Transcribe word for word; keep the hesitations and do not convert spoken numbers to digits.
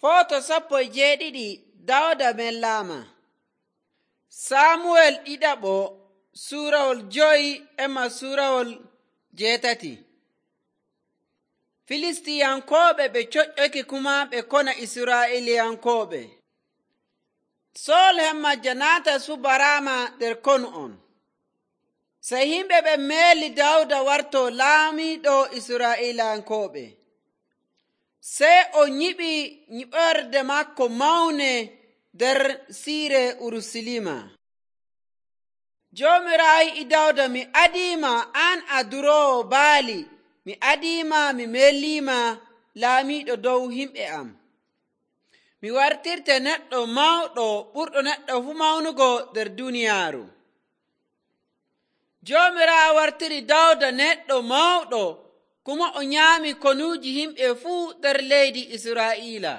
Footo sappo e jeeɗiɗi Dawda mellaama. Saamuwel ɗiɗaɓo suurawol joyi emma suurawol jeetati. Filistiyankooɓe ɓe coƴƴoke kuma ɓe kona Israa'iiliyankooɓe. Sool hemmajja naata subaraama nder konu on. Sey yimɓe ɓen meeli Dawda wartoo laamiiɗo Israa'iilankooɓe. Sey o nyiɓi nyiɓorde maako mawne nder siire Urusalima. Joomiraawo wi'i Dawda, mi adiima an a duroowo baali, mi adiima mi meeliima laamiiɗo dow yimɓe am. Mi wartirte neɗɗo mawɗo ɓurɗo neɗɗo fuu mawnugo nder duuniyaaru. Joomiraawo wartiri Dawda neɗɗo mawɗo, kuma o nyaami konuuji yimɓe fuu nder leydi Israa'iila.